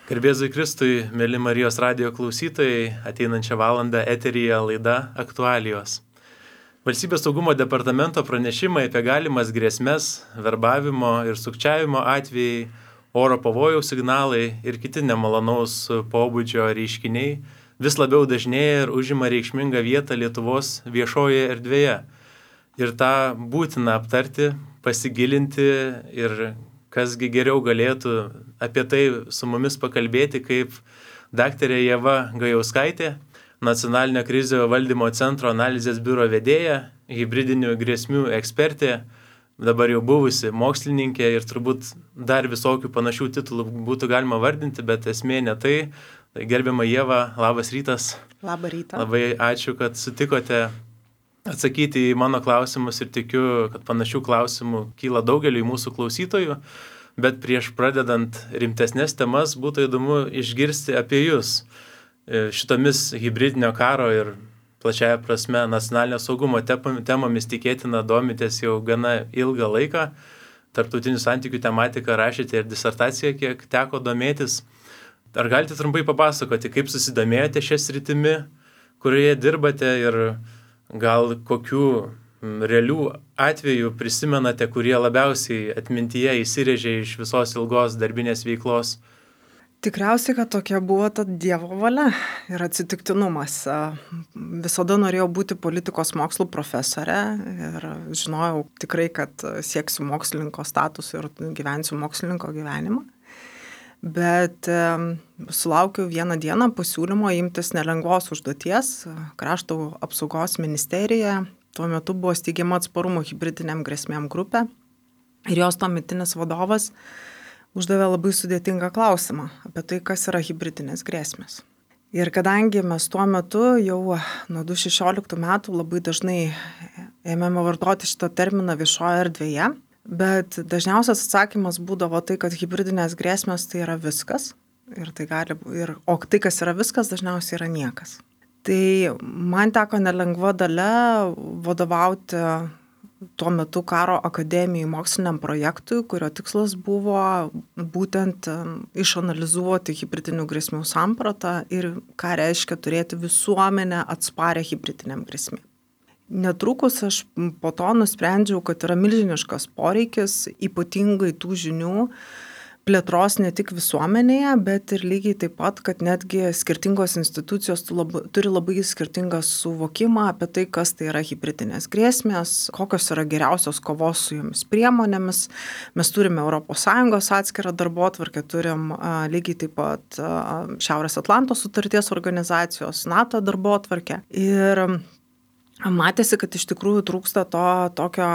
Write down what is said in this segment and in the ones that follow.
Garbėzui Kristui, mėly Marijos radijo klausytojai, ateinančią valandą eteryje laida Aktualijos. Valstybės saugumo departamento pranešimai apie galimas grėsmes, verbavimo ir sukčiavimo atvejai, oro pavojaus signalai ir kiti nemalonaus pobūdžio reiškiniai vis labiau dažnėja ir užima reikšmingą vietą Lietuvos viešojoje erdvėje. Ir tą būtina aptarti, pasigilinti ir kasgi geriau galėtų apie tai su mumis pakalbėti kaip daktarė Ieva Gajauskaitė, Nacionalinio krizių valdymo centro analizės biuro vedėja, hibridinių grėsmių ekspertė, dabar jau buvusi mokslininkė ir turbūt dar visokių panašių titulų būtų galima vardinti, bet esmė ne tai. Tai gerbiama Ieva, labas rytas. Labą rytą. Labai ačiū, kad sutikote atsakyti į mano klausimus ir tikiu, kad panašių klausimų kyla daugeliui mūsų klausytojų, bet prieš pradedant rimtesnės temas būtų įdomu išgirsti apie jūs. Šitomis hibridinio karo ir plačiaja prasme nacionalinio saugumo temomis tikėtina domitės jau gana ilgą laiką. Tarptautinių santykių tematiką rašėte ir disertaciją, kiek teko domėtis. Ar galite trumpai papasakoti, kaip susidomėjote šią sritimi, kurioje dirbate ir gal kokių realių atvejų prisimenate, kurie labiausiai atmintyje įsirėžė iš visos ilgos darbinės veiklos? Tikriausiai, kad tokia buvo ta Dievo valia ir atsitiktinumas. Visada norėjau būti politikos mokslų profesorė ir žinojau tikrai, kad sieksiu mokslininko statusą ir gyvensiu mokslininko gyvenimą. Bet sulaukiau vieną dieną pasiūlymo imtis nelengvos užduoties. Krašto apsaugos ministerija tuo metu buvo steigiama atsparumo hibridiniam grėsmėm grupė ir jos tuometinis vadovas uždavė labai sudėtingą klausimą apie tai, kas yra hibridinės grėsmės. Ir kadangi mes tuo metu jau nuo 2016 metų labai dažnai ėmėme vartoti šitą terminą viešoje erdvėje, bet dažniausias atsakymas būdavo tai, kad hibridinės grėsmės tai yra viskas, o tai, kas yra viskas, dažniausiai yra niekas. Tai man teko nelengva dalia vadovauti tuo metu karo akademijai moksliniam projektui, kurio tikslas buvo būtent išanalizuoti hibridinių grėsmių sampratą ir ką reiškia turėti visuomenę atsparę hibridiniam grėsmėm. Netrukus aš po to nusprendžiau, kad yra milžiniškas poreikis ypatingai tų žinių plėtros ne tik visuomenėje, bet ir lygiai taip pat, kad netgi skirtingos institucijos turi labai skirtingą suvokimą apie tai, kas tai yra hibridinės grėsmės, kokios yra geriausios kovos su jomis priemonėmis. Mes turime ES atskirą darbotvarkę, turim lygiai taip pat Šiaurės Atlanto sutarties organizacijos NATO darbotvarkę. Ir matėsi, kad iš tikrųjų trūksta to tokio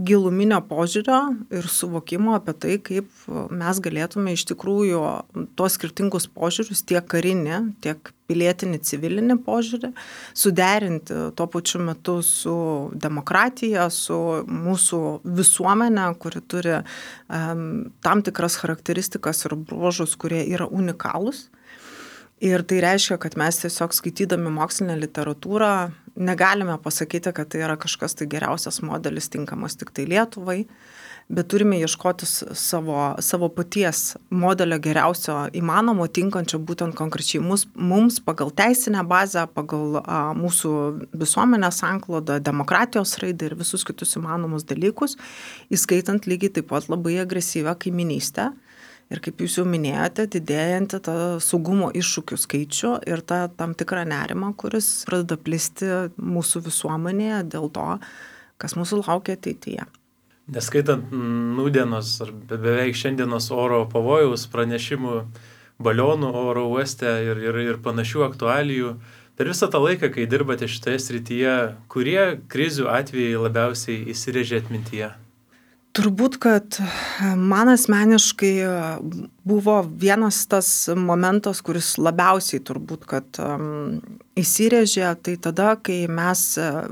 giluminio požiūrio ir suvokimo apie tai, kaip mes galėtume iš tikrųjų tos skirtingus požiūrius, tiek karinį, tiek pilietinį, civilinį požiūrį, suderinti tuo pačiu metu su demokratija, su mūsų visuomenė, kuri turi tam tikras charakteristikas ir bruožus, kurie yra unikalūs. Ir tai reiškia, kad mes tiesiog skaitydami mokslinę literatūrą negalime pasakyti, kad tai yra kažkas tai geriausias modelis tinkamas tik tai Lietuvai, bet turime ieškoti savo paties modelio geriausio įmanomo, tinkančio būtent konkrečiai mums pagal teisinę bazę, pagal mūsų visuomenės sanklodą, demokratijos raidą ir visus kitus įmanomus dalykus, įskaitant lygiai taip pat labai agresyvią kaiminystę. Ir kaip jūs jau minėjote, didėjantį tą saugumo iššūkių skaičių ir tą tam tikrą nerimą, kuris pradeda plisti mūsų visuomenėje dėl to, kas mūsų laukia ateityje. Neskaitant nūdienos ar beveik šiandienos oro pavojaus pranešimų balionų oro uoste ir panašių aktualijų, per visą tą laiką, kai dirbate šitoje srityje, kurie krizių atvejai labiausiai įsirėžė atmintyje? Turbūt, kad man asmeniškai buvo vienas tas momentas, kuris labiausiai turbūt, kad įsirėžė, tai tada, kai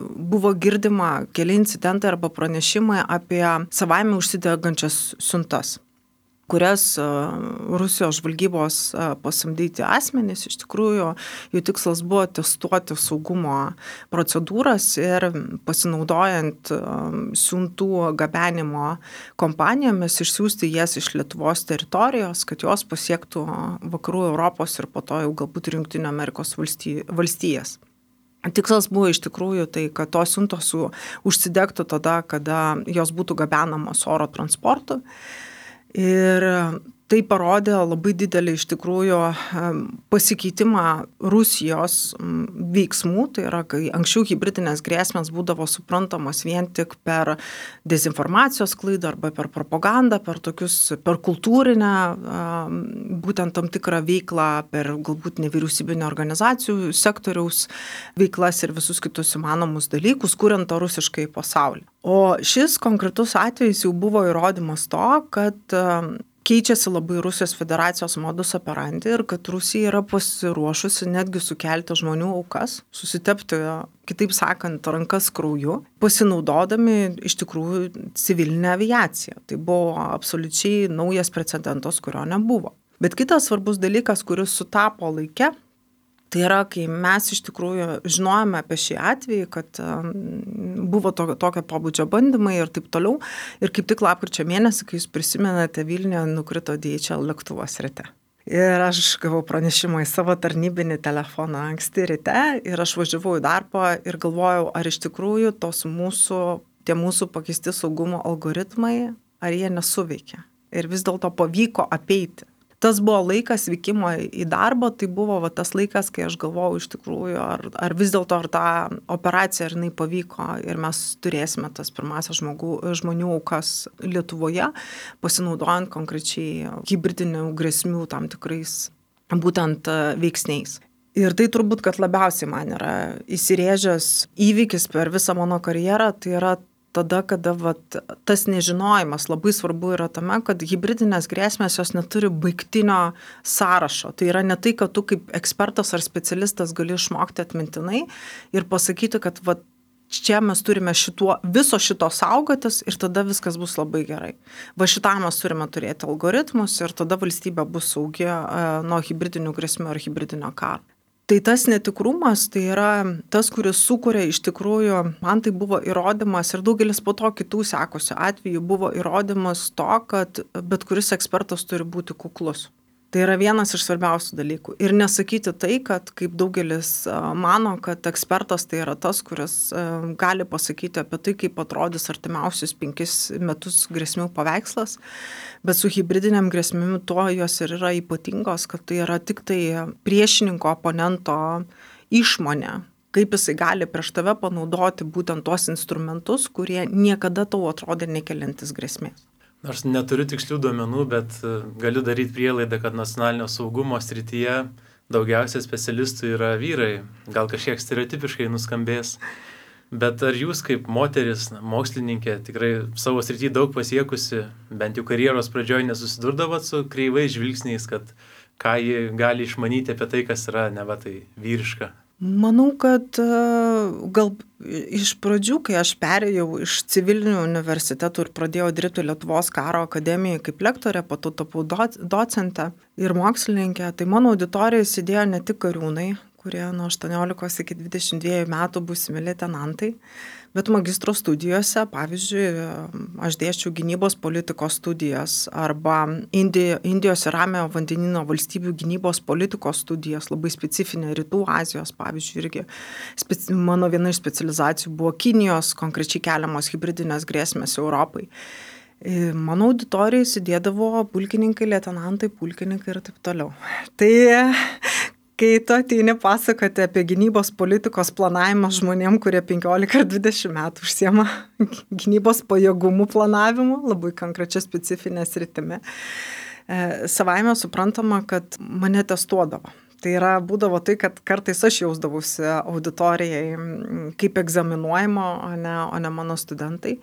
buvo girdima keli incidentai arba pranešimai apie savaime užsidegančias siuntas, kurias Rusijos žvalgybos pasamdyti asmenys, iš tikrųjų jų tikslas buvo testuoti saugumo procedūras ir pasinaudojant siuntų gabenimo kompanijomis išsiųsti jas iš Lietuvos teritorijos, kad jos pasiektų vakarų Europos ir po to jau galbūt ir Jungtinių Amerikos valstijas. Tikslas buvo iš tikrųjų tai, kad tos siuntos užsidegtų tada, kada jos būtų gabenamos oro transportu. Ir tai parodė labai didelį iš tikrųjų pasikeitimą Rusijos veiksmų, tai yra, kai anksčiau hibridinės grėsmės būdavo suprantamos vien tik per dezinformacijos sklaidą arba per propagandą, per kultūrinę būtent tam tikrą veiklą, per galbūt nevyriausybinio organizacijų sektoriaus veiklas ir visus kitus įmanomus dalykus, kuriant tą rusiškai pasaulį. O šis konkretus atvejis jau buvo įrodymas to, kad keičiasi labai Rusijos federacijos modus operandi ir kad Rusija yra pasiruošusi netgi sukelti žmonių aukas, susitepti, kitaip sakant, rankas krauju, pasinaudodami iš tikrųjų civilinę aviaciją. Tai buvo absoliučiai naujas precedentas, kurio nebuvo. Bet kitas svarbus dalykas, kuris sutapo laike, tai yra, kai mes iš tikrųjų žinojame apie šį atvejį, kad buvo tokio pobūdžio bandymai ir taip toliau. Ir kaip tik lapkričio mėnesį, kai jūs prisimenate, Vilniuje nukrito DHL lėktuvas ryte. Ir aš gavau pranešimą į savo tarnybinį telefoną anksti ryte ir aš važiavau į darbą ir galvojau, ar iš tikrųjų tie mūsų pakeisti saugumo algoritmai, ar jie nesuveikia. Ir vis dėlto pavyko apeiti. Tas buvo laikas vykimo į darbą, tai buvo tas laikas, kai aš galvojau iš tikrųjų, ar vis dėlto ar ta operacija ar jinai pavyko ir mes turėsime tas pirmasias žmonių aukas Lietuvoje, pasinaudojant konkrečiai hibridinių grėsmių tam tikrais būtent veiksniais. Ir tai turbūt, kad labiausiai man yra įsirėžęs įvykis per visą mano karjerą, tai yra tada, kada tas nežinojimas labai svarbu yra tame, kad hibridinės grėsmės jos neturi baigtinio sąrašo. Tai yra ne tai, kad tu kaip ekspertas ar specialistas gali išmokti atmintinai ir pasakyti, kad čia mes turime viso šito saugotis ir tada viskas bus labai gerai. Šitą mes turime turėti algoritmus ir tada valstybė bus saugi nuo hibridinių grėsmių ar hibridinio karo. Tai tas netikrumas, tai yra tas, kuris sukuria iš tikrųjų, man tai buvo įrodymas ir daugelis po to kitų sekusių atvejų buvo įrodymas to, kad bet kuris ekspertas turi būti kuklus. Tai yra vienas iš svarbiausių dalykų. Ir nesakyti tai, kad kaip daugelis mano, kad ekspertas tai yra tas, kuris gali pasakyti apie tai, kaip atrodys artimiausius 5 metus grėsmių paveikslas, bet su hibridiniam grėsmėmis tuo jos ir yra ypatingos, kad tai yra tik tai priešininko oponento išmonė, kaip jisai gali prieš tave panaudoti būtent tuos instrumentus, kurie niekada tau atrodė nekeliantis grėsmės. Nors neturiu tikslių duomenų, bet galiu daryti prielaidą, kad nacionalinio saugumo srityje daugiausia specialistų yra vyrai. Gal kažkiek stereotipiškai nuskambės. Bet ar jūs kaip moteris, mokslininkė, tikrai savo srityje daug pasiekusi, bent jau karjeros pradžioje nesusidurdavot su kreivais žvilgsniais, kad ką ji gali išmanyti apie tai, kas yra neva tai vyriška? Manau, kad gal iš pradžių, kai aš perėjau iš civilinių universitetų ir pradėjau dirbti Lietuvos karo akademijoje kaip lektorė, po to tapau docentė ir mokslininkė, tai mano auditorijoje sėdėjo ne tik kariūnai, kurie nuo 18 iki 22 metų būsimi leitenantai, bet magistro studijose, pavyzdžiui, aš dėsčiau gynybos politikos studijas arba Indijos ir Ramiojo vandenyno valstybių gynybos politikos studijas, labai specifinė Rytų Azijos, pavyzdžiui, irgi mano viena iš specializacijų buvo Kinijos, konkrečiai keliamos hibridinės grėsmės Europai. Mano auditorijai sėdėdavo pulkininkai, leitenantai, pulkininkai ir taip toliau. Tai kai tu ateini pasakoti apie gynybos politikos planavimą žmonėm, kurie 15 ar 20 metų užsiema gynybos pajėgumų planavimu, labai konkrečia specifinė sritimi, savaime suprantama, kad mane testuodavo. Tai yra, būdavo tai, kad kartais aš jausdavausi auditorijai kaip egzaminuojama, o ne mano studentai.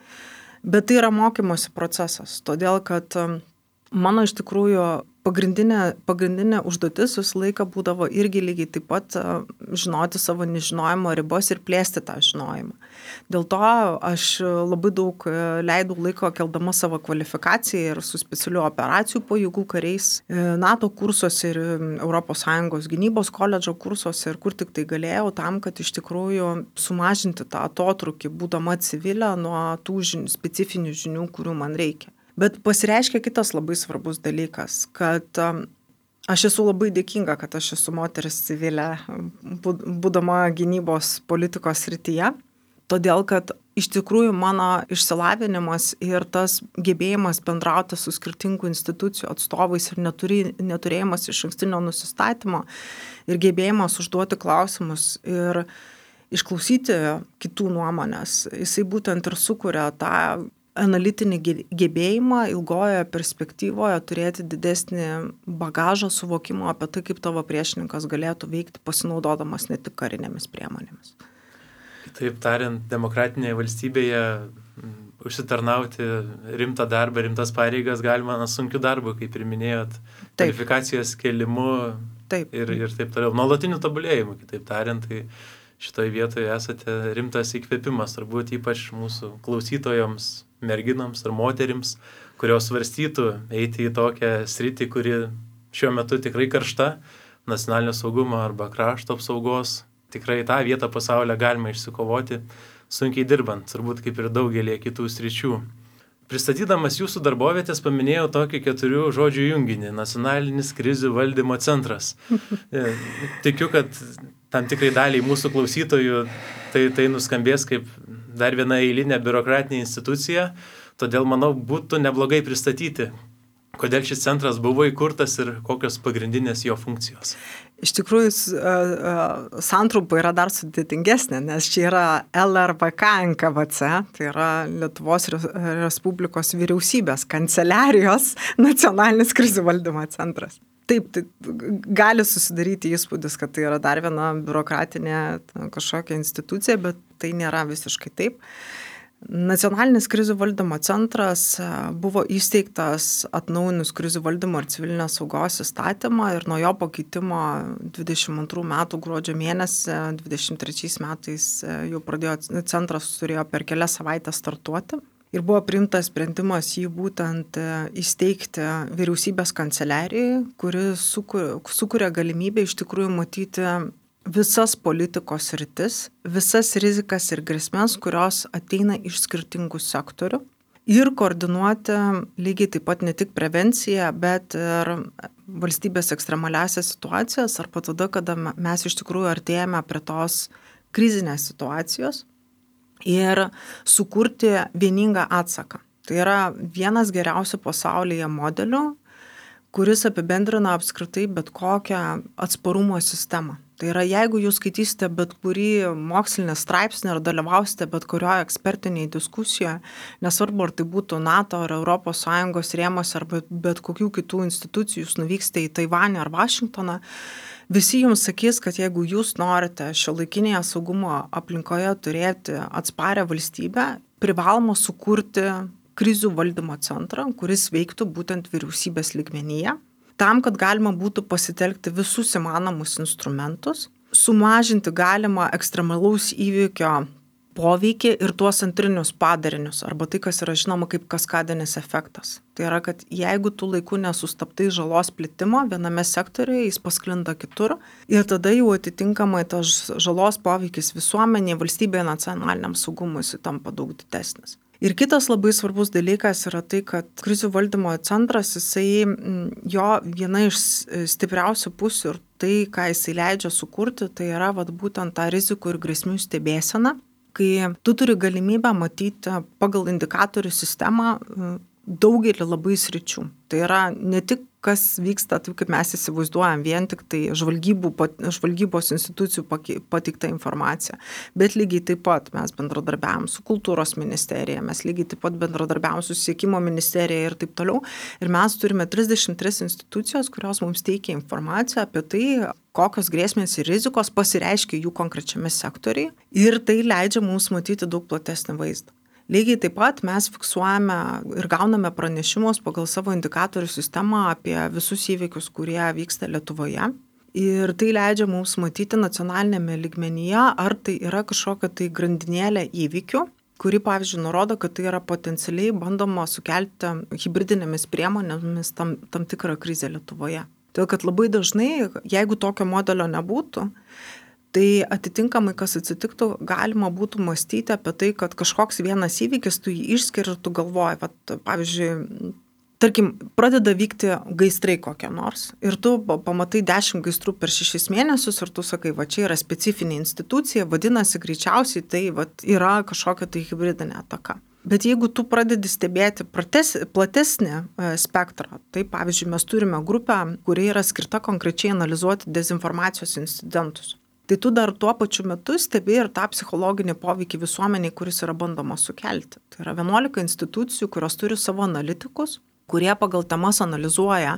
Bet tai yra mokymosi procesas, todėl kad mano iš tikrųjų pagrindinė užduotis visą laiką būdavo irgi lygiai taip pat žinoti savo nežinojimo ribos ir plėsti tą žinojimą. Dėl to aš labai daug leidau laiko keldama savo kvalifikaciją ir su specialių operacijų pajėgų kariais NATO kursuose ir ES gynybos koledžo kursuose ir kur tik tai galėjau tam, kad iš tikrųjų sumažinti tą atotrūkį, būdama civilė nuo tų specifinių žinių, kurių man reikia. Bet pasireiškia kitas labai svarbus dalykas, kad aš esu labai dėkinga, kad aš esu moteris civilė, būdama gynybos politikos srityje, todėl kad iš tikrųjų mano išsilavinimas ir tas gebėjimas bendrauti su skirtingų institucijų atstovais ir neturėjimas išankstinio nusistatymo ir gebėjimas užduoti klausimus ir išklausyti kitų nuomonės, jisai būtent ir sukuria tą analitinį gebėjimą ilgojoje perspektyvoje turėti didesnį bagažą suvokimo apie tai, kaip tavo priešininkas galėtų veikti pasinaudodamas ne tik karinėmis priemonėmis. Kitaip tariant, demokratinėje valstybėje užsitarnauti rimtą darbą, rimtas pareigas galima sunkiu darbu, kaip ir minėjot, kvalifikacijos kėlimu ir taip toliau, nuolatiniu tobulėjimu, kitaip tariant, tai šitoje vietoje esate rimtas įkvėpimas, turbūt ypač mūsų klausytojams, merginoms ar moterims, kurios svarstytų eiti į tokią sritį, kuri šiuo metu tikrai karšta, nacionalinio saugumo arba krašto apsaugos. Tikrai tą vietą pasaulyje galima išsikovoti sunkiai dirbant, turbūt kaip ir daugelį kitų sričių. Pristatydamas jūsų darbovietės paminėjau tokį 4 žodžių junginį – nacionalinis krizių valdymo centras. Tikiu, kad tam tikrai daliai mūsų klausytojų tai nuskambės kaip dar viena eilinė biurokratinė institucija, todėl, manau, būtų neblogai pristatyti, kodėl šis centras buvo įkurtas ir kokios pagrindinės jo funkcijos. Iš tikrųjų, santrumpa yra dar sudėtingesnė, nes čia yra LRVK NKVC, tai yra Lietuvos Respublikos vyriausybės kanceliarijos nacionalinis krizių valdymo centras. Taip, tai gali susidaryti įspūdis, kad tai yra dar viena biurokratinė kažkokia institucija, bet tai nėra visiškai taip. Nacionalinis krizių valdymo centras buvo įsteigtas atnaujinus krizių valdymo ir civilinės saugos įstatymą ir nuo jo pakeitimo 22 metų gruodžio mėnesį, 23 metais jau centras turėjo per kelias savaitės startuoti. Ir buvo priimtas sprendimas jį būtent įsteigti vyriausybės kanceliarijai, kuri sukuria galimybę iš tikrųjų matyti visas politikos sritis, visas rizikas ir grėsmes, kurios ateina iš skirtingų sektorių ir koordinuoti lygiai taip pat ne tik prevenciją, bet ir valstybės ekstremaliasias situacijas arba tada, kada mes iš tikrųjų artėjame prie tos krizinės situacijos ir sukurti vieningą atsaką. Tai yra vienas geriausių pasaulyje modelių, kuris apibendrina apskritai bet kokią atsparumo sistemą. Tai yra, jeigu jūs skaitysite bet kurį mokslinį straipsnį ar dalyvausite bet kurioje ekspertinėje diskusijoje, nesvarbu, ar tai būtų NATO ar ES rėmose ar bet kokių kitų institucijų, jūs nuvyksite į Taivanį ar Vašingtoną, visi jums sakys, kad jeigu jūs norite šiuolaikinėje saugumo aplinkoje turėti atsparę valstybę, privaloma sukurti krizių valdymo centrą, kuris veiktų būtent vyriausybės lygmenyje, tam, kad galima būtų pasitelkti visus įmanomus instrumentus, sumažinti galimą ekstremalaus įvykio poveikį ir tuos antrinius padarinius, arba tai, kas yra žinoma kaip kaskadinis efektas. Tai yra, kad jeigu tu laiku nesustabtai žalos plitimo viename sektoriuje, jis pasklinda kitur ir tada jau atitinkamai tas žalos poveikis visuomenėje, valstybėje, nacionaliniam saugumui tampa daug didesnis. Ir kitas labai svarbus dalykas yra tai, kad krizių valdymo centras, jo viena iš stipriausių pusių ir tai, ką jisai leidžia sukurti, tai yra būtent tą rizikų ir grėsmių stebėseną, kai tu turi galimybę matyti pagal indikatorių sistemą daugelį labai sričių. Tai yra ne tik kas vyksta, taip kaip mes įsivaizduojam, vien tik tai žvalgybos institucijų pateikta informacija, bet lygiai taip pat mes bendradarbiavom su kultūros ministerija, mes lygiai taip pat bendradarbiavom su susisiekimo ministerija ir taip toliau. Ir mes turime 33 institucijos, kurios mums teikia informaciją apie tai, kokios grėsmės ir rizikos pasireiškia jų konkrečiame sektoriai ir tai leidžia mums matyti daug platesnį vaizdą. Lygiai taip pat mes fiksuojame ir gauname pranešimus pagal savo indikatorių sistemą apie visus įvykius, kurie vyksta Lietuvoje. Ir tai leidžia mums matyti nacionalinėme lygmenyje, ar tai yra kažkokia tai grandinėlė įvykių, kuri, pavyzdžiui, nurodo, kad tai yra potencialiai bandoma sukelti hibridinėmis priemonėmis tam tikrą krizę Lietuvoje. Todėl, kad labai dažnai, jeigu tokio modelio nebūtų, tai atitinkamai, kas atsitiktų, galima būtų mąstyti apie tai, kad kažkoks vienas įvykis, tu jį išskiri ir tu galvoji, pavyzdžiui, tarkim, pradeda vykti gaisrai kokie nors ir tu pamatai 10 gaisrų per 6 mėnesius ir tu sakai, va čia yra specifinė institucija, vadinasi greičiausiai tai yra kažkokia tai hibridinė ataka. Bet jeigu tu pradedi stebėti platesnį spektrą, tai pavyzdžiui, mes turime grupę, kuri yra skirta konkrečiai analizuoti dezinformacijos incidentus. Tai tu dar tuo pačiu metu stebi ir tą psichologinį poveikį visuomeniai, kuris yra bandoma sukelti. Tai yra 11 institucijų, kurios turi savo analitikus, kurie pagal temas analizuoja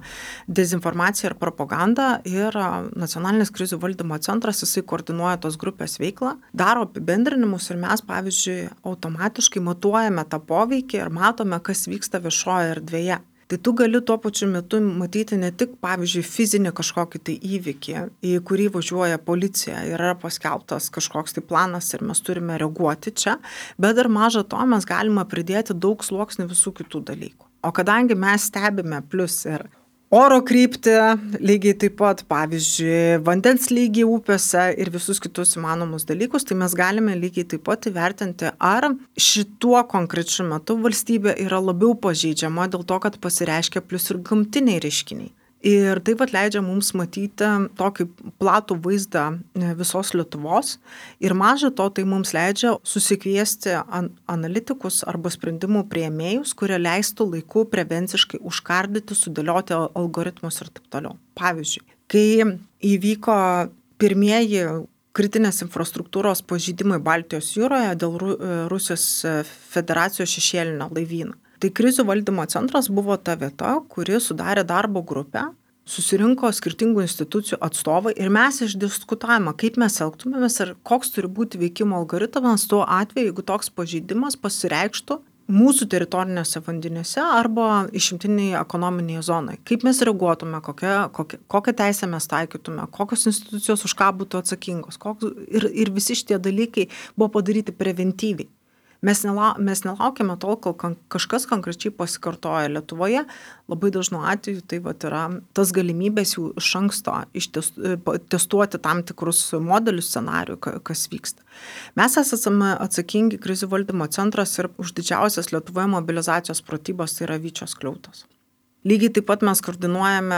dezinformaciją ir propagandą ir Nacionalinis krizių valdymo centras, jisai koordinuoja tos grupės veiklą, daro apibendrinimus ir mes, pavyzdžiui, automatiškai matuojame tą poveikį ir matome, kas vyksta viešoje erdvėje. Tai tu gali tuo pačiu metu matyti ne tik, pavyzdžiui, fizinį kažkokį tai įvykį, į kurį važiuoja policija ir yra paskelbtas kažkoks tai planas ir mes turime reaguoti čia, bet dar maža to mes galime pridėti daug sluoksnių visų kitų dalykų. O kadangi mes stebime plus ir oro kryptį, lygiai taip pat, pavyzdžiui, vandens lygį upėse ir visus kitus įmanomus dalykus, tai mes galime lygiai taip pat įvertinti, ar šituo konkrečiu metu valstybė yra labiau pažeidžiama dėl to, kad pasireiškia plus ir gamtiniai reiškiniai. Ir taip pat leidžia mums matyti tokį platų vaizdą visos Lietuvos ir maža to, tai mums leidžia susikviesti analitikus arba sprendimų priėmėjus, kurie leistų laiku prevenciškai užkardyti, sudėlioti algoritmus ir taip toliau. Pavyzdžiui, kai įvyko pirmieji kritinės infrastruktūros pažeidimai Baltijos jūroje dėl Rusijos federacijos šešėlinio laivyno, tai krizių valdymo centras buvo ta vieta, kuri sudarė darbo grupę, susirinko skirtingų institucijų atstovai ir mes išdiskutavome, kaip mes elgtumėmės ir koks turi būti veikimo algoritmas tuo atveju, jeigu toks pažeidimas pasireikštų mūsų teritorinėse vandenyse arba išimtiniai ekonominėje zonoje. Kaip mes reaguotume, kokią teisę mes taikytume, kokios institucijos už ką būtų atsakingos. Ir visi šitie dalykai buvo padaryti preventyviai. Mes nelaukiame tol, kol kažkas konkrečiai pasikartoja Lietuvoje. Labai dažnu atveju tai yra tas galimybės jų iš anksto testuoti tam tikrus modelius, scenarijų, kas vyksta. Mes esame atsakingi krizių valdymo centras ir už didžiausias Lietuvoje mobilizacijos pratybos, tai yra Vyčio skliautos. Lygiai taip pat mes koordinuojame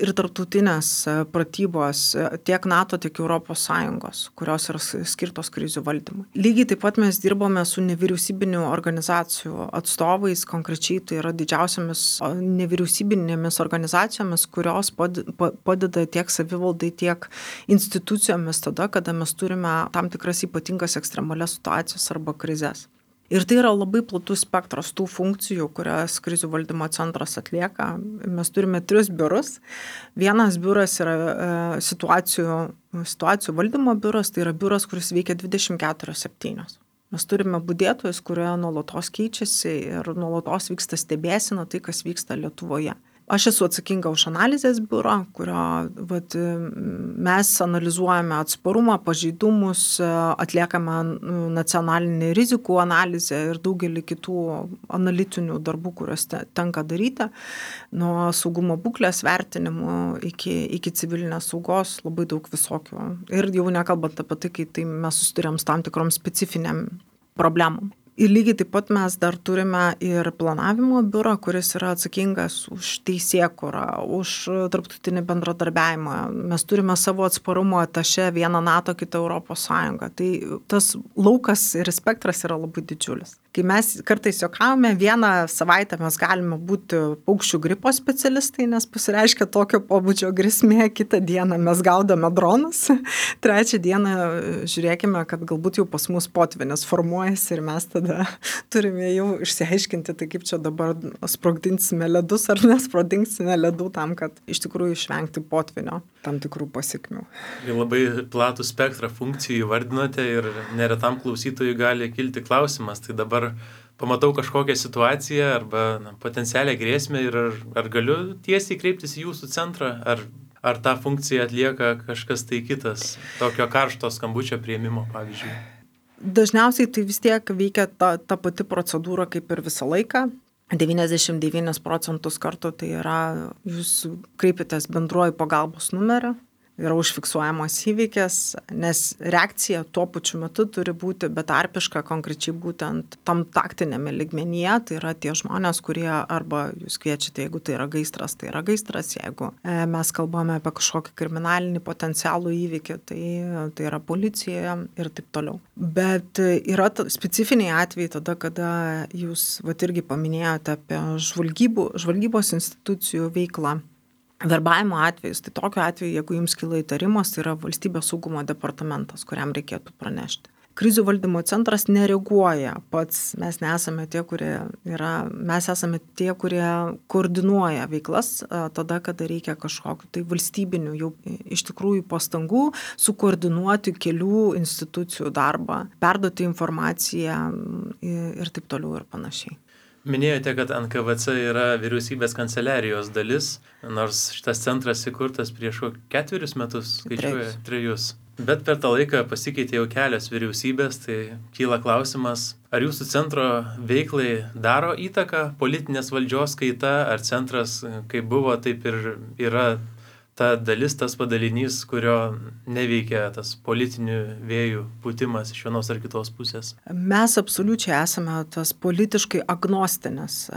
ir tarptautinės pratybos tiek NATO, tiek ES, kurios yra skirtos krizių valdymui. Lygiai taip pat mes dirbame su nevyriausybinių organizacijų atstovais, konkrečiai tai yra didžiausiamis nevyriausybinėmis organizacijomis, kurios padeda tiek savivaldai, tiek institucijomis tada, kada mes turime tam tikras ypatingas ekstremalias situacijas arba krizes. Ir tai yra labai platus spektras tų funkcijų, kurias krizių valdymo centras atlieka. Mes turime 3 biurus. Vienas biuras yra situacijų valdymo biuras, tai yra biuras, kuris veikia 24/7. Mes turime budėtojus, kurie nuolatos keičiasi ir nuolatos vyksta stebėsena tai, kas vyksta Lietuvoje. Aš esu atsakinga už analizės biurą, kurio mes analizuojame atsparumą, pažeidumus, atliekame nacionalinį rizikų analizę ir daugelį kitų analitinių darbų, kuriuos tenka daryti, nuo saugumo būklės vertinimų iki civilinės saugos, labai daug visokių. Ir jau nekalbant apie tai, kai mes susiduriam su tam tikrom specifiniam problemom. Ir lygiai taip pat mes dar turime ir planavimo biurą, kuris yra atsakingas už teisėkūrą, už tarptautinį bendradarbiavimą. Mes turime savo atsparumo atašę, vieną NATO, kitą ES. Tai tas laukas ir spektras yra labai didžiulis. Kai mes kartais juokavome, vieną savaitę mes galime būti paukščių gripo specialistai, nes pasireiškia tokio pobūdžio grėsmė, kitą dieną mes gaudome dronus, trečią dieną žiūrėkime, kad galbūt jau pas mus potvynis formuojasi ir mes tada turime jau išsiaiškinti, tai kaip čia dabar sprogdinsime ledus ar nesprogdinsime ledų tam, kad iš tikrųjų išvengti potvynio tam tikrų pasekmių. Labai platų spektrą funkcijų įvardinote ir neretam klausytojui gali kilti klausimas, tai dabar dabar pamatau kažkokią situaciją arba potencialią grėsmę ir ar galiu tiesiai kreiptis į jūsų centrą, ar tą funkciją atlieka kažkas tai kitas, tokio karšto skambučio priėmimo, pavyzdžiui? Dažniausiai tai vis tiek veikia ta pati procedūra kaip ir visą laiką. 99% kartų tai yra, jūs kreipitės bendruoju pagalbos numeriu, yra užfiksuojamas įvykis, nes reakcija tuo pačiu metu turi būti betarpiška konkrečiai būtent tam taktinėme lygmenyje, tai yra tie žmonės, kurie arba jūs kviečiate, jeigu tai yra gaisras, jeigu mes kalbame apie kažkokį kriminalinį potencialų įvykį, tai yra policijoje ir taip toliau. Bet yra specifiniai atvejai tada, kada jūs irgi paminėjote apie žvalgybos institucijų veiklą. Verbavimo atvejus, tai tokiu atveju, jeigu jums kyla įtarimas, tai yra Valstybės saugumo departamentas, kuriam reikėtų pranešti. Krizių valdymo centras nereaguoja pats, mes esame tie, kurie koordinuoja veiklas tada, kada reikia kažkokiu tai valstybinių jau iš tikrųjų pastangų sukoordinuoti kelių institucijų darbą, perduoti informaciją ir taip toliau ir panašiai. Minėjote, kad NKVC yra vyriausybės kanceliarijos dalis, nors šitas centras įkurtas prieš 4 metus, skaičiuoja 3. Bet per tą laiką pasikeitė jau kelios vyriausybės, tai kyla klausimas, ar jūsų centro veiklai daro įtaką politinės valdžios kaita, ar centras kaip buvo, taip ir yra ta dalis, tas padalinys, kurio neveikia tas politinių vėjų pūtimas iš vienos ar kitos pusės? Mes absoliučiai esame tas politiškai agnostinis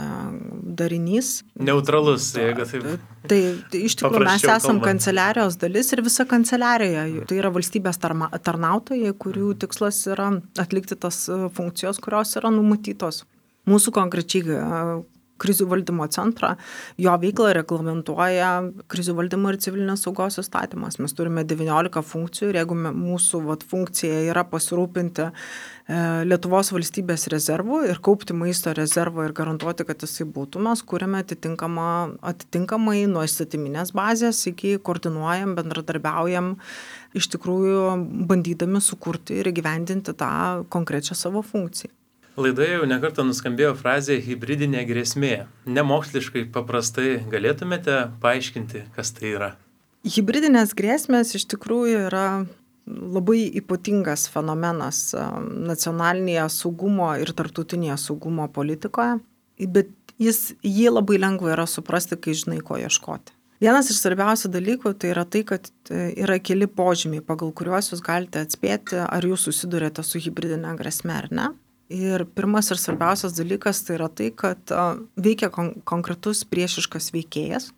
darinys. Neutralus, jeigu taip. Tai iš tikrųjų mes esam kanceliarijos dalis ir visa kanceliarija. Tai yra valstybės tarnautojai, kurių tikslas yra atlikti tas funkcijos, kurios yra numatytos. Mūsų konkrečiai krizių valdymo centrą, jo veiklą reglamentuoja krizių valdymo ir civilinės saugos įstatymas. Mes turime 19 funkcijų ir jeigu mūsų funkcija yra pasirūpinti Lietuvos valstybės rezervų ir kaupti maisto rezervą ir garantuoti, kad jisai būtų, mes kūrėme atitinkamai nuo įstatyminės bazės iki koordinuojam, bendradarbiaujam, iš tikrųjų bandydami sukurti ir įgyvendinti tą konkrečią savo funkciją. Laidoje jau nekartą nuskambėjo frazė hibridinė grėsmė. Nemoksliškai paprastai galėtumėte paaiškinti, kas tai yra? Hibridinės grėsmės iš tikrųjų yra labai ypatingas fenomenas nacionalinėje saugumo ir tarptautinėje saugumo politikoje, bet jį labai lengva yra suprasti, kai žinai, ko ieškoti. Vienas iš svarbiausių dalykų tai yra tai, kad yra keli požymiai, pagal kuriuos jūs galite atspėti, ar jūs susidurėte su hibridinė grėsme ar ne. Ir pirmas ir svarbiausias dalykas tai yra tai, kad veikia konkretus priešiškas veikėjas.